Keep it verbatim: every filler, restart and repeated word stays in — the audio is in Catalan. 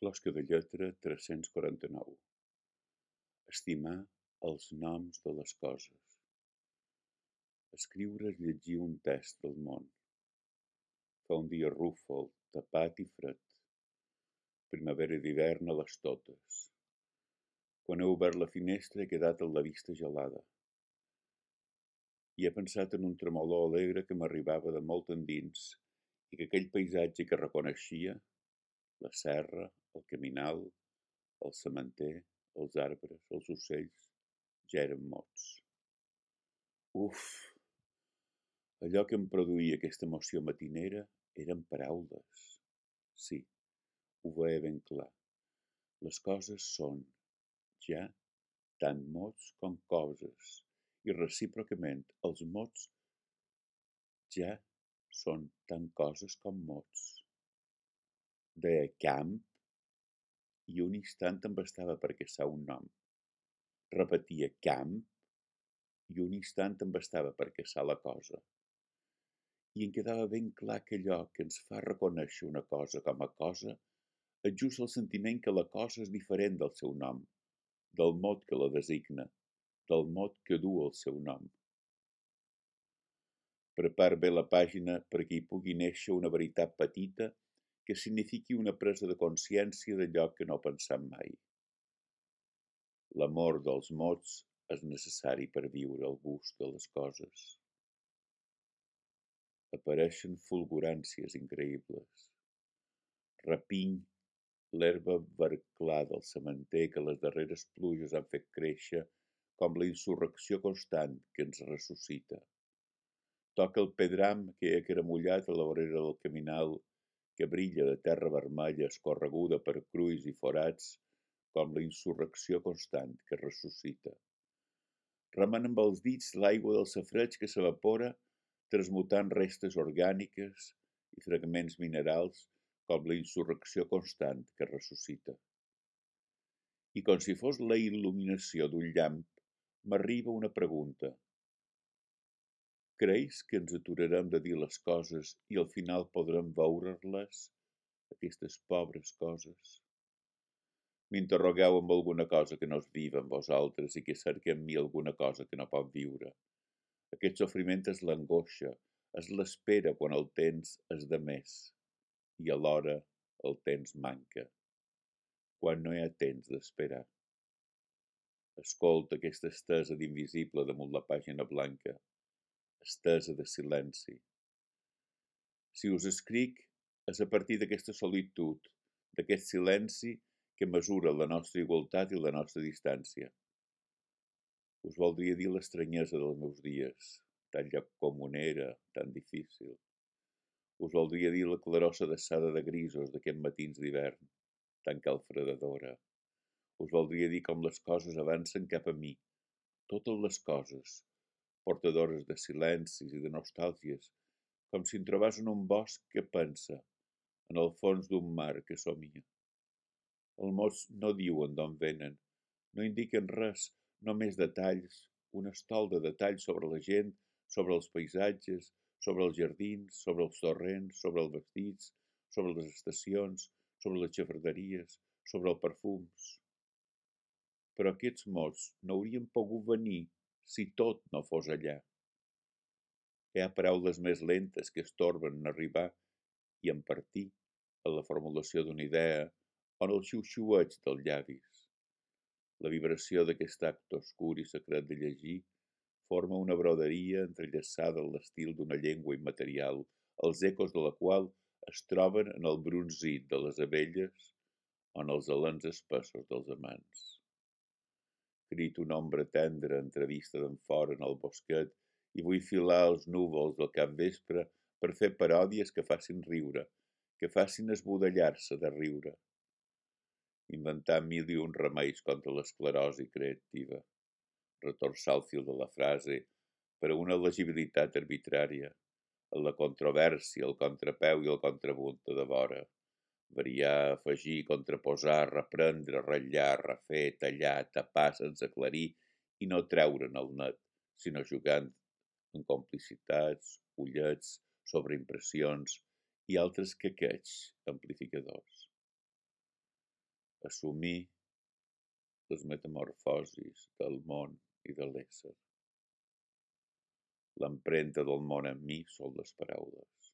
Closca de lletra tres-cents quaranta-nou. Estimar els noms de les coses. Escriure és llegir un test del món. Fa un dia rúfol, tapat i fred. Primavera d'hivern a les totes. Quan he obert la finestra he quedat amb la vista gelada. I he pensat en un tremolor alegre que m'arribava de molt endins i que aquell paisatge que reconeixia, la serra, el caminal, el sementer, els arbres, els ocells, ja eren mots. Uf! Allò que em produïa aquesta emoció matinera eren paraules. Sí, ho veia ben clar. Les coses són, ja, tant mots com coses, i recíprocament els mots ja són tant coses com mots. Deia camp i un instant em bastava per caçar un nom. Repetia camp i un instant em bastava per caçar la cosa. I em quedava ben clar que allò que ens fa reconèixer una cosa com a cosa és just el sentiment que la cosa és diferent del seu nom, del mot que la designa, del mot que du el seu nom. Prepar bé la pàgina perquè hi pugui néixer una veritat petita que signifiqui una presa de consciència d'allò que no pensam mai. L'amor dels mots és necessari per viure el gust de les coses. Apareixen fulguràncies increïbles. Rapiny l'herba verclada del sementer que les darreres pluges han fet créixer com la insurrecció constant que ens ressuscita. Toca el pedram que ha cremullat a la vorera del caminal que brilla de terra vermella escorreguda per crulls i forats com la insurrecció constant que ressuscita. Remen amb els dits l'aigua del safareig que s'evapora transmutant restes orgàniques i fragments minerals com la insurrecció constant que ressuscita. I com si fos la il·luminació d'un llamp, m'arriba una pregunta. Creus que ens aturarem de dir les coses i al final podrem veure-les, aquestes pobres coses? M'interrogueu amb alguna cosa que no és viva en vosaltres i que cerca en mi alguna cosa que no pot viure. Aquest sofriment és l'angoixa, és l'espera quan el temps és de més i alhora el temps manca, quan no hi ha temps d'esperar. Escolta aquesta estesa d'invisible damunt la pàgina blanca, estesa de silenci. Si us escric és a partir d'aquesta solitud, d'aquest silenci que mesura la nostra igualtat i la nostra distància. Us voldria dir l'estranyesa dels meus dies, tan lloc comunera, tan difícil. Us voldria dir la claror sedessada de grisos d'aquests matins d'hivern, tan calfredadora. Us voldria dir com les coses avancen cap a mi, totes les coses, portadores de silencis i de nostàlgies, com si em trobàs en un bosc que pensa, en el fons d'un mar que somia. Els mots no diuen d'on venen, no indiquen res, només detalls, un estol de detalls sobre la gent, sobre els paisatges, sobre els jardins, sobre els torrents, sobre els vestits, sobre les estacions, sobre les xafarderies, sobre els perfums. Però aquests mots no haurien pogut venir si tot no fos allà. Hi ha paraules més lentes que estorben en arribar i en partir a la formulació d'una idea o en el xiu-xiueig dels llavis. La vibració d'aquest acte oscur i secret de llegir forma una broderia entrellaçada en l'estil d'una llengua immaterial, els ecos de la qual es troben en el brunzit de les abelles o en els alens espessos dels amants. Crit una ombra tendra entrevista d'enfora en el bosquet i vull filar els núvols del capvespre per fer paròdies que facin riure, que facin esbudellar-se de riure. Inventar mil i un remeis contra l'esclerosi creativa, retorçar el fil de la frase per a una legibilitat arbitrària, en la controvèrsia, el contrapeu i el contrapunt de vora, variar, afegir, contraposar, reprendre, ratllar, refer, tallar, tapar sense aclarir i no treure'n el net, sinó jugant en complicitats, ullets, sobreimpressions i altres quequeig amplificadors. assumir les metamorfosis del món i de l'ésser. L'empremta del món en mi són les paraules.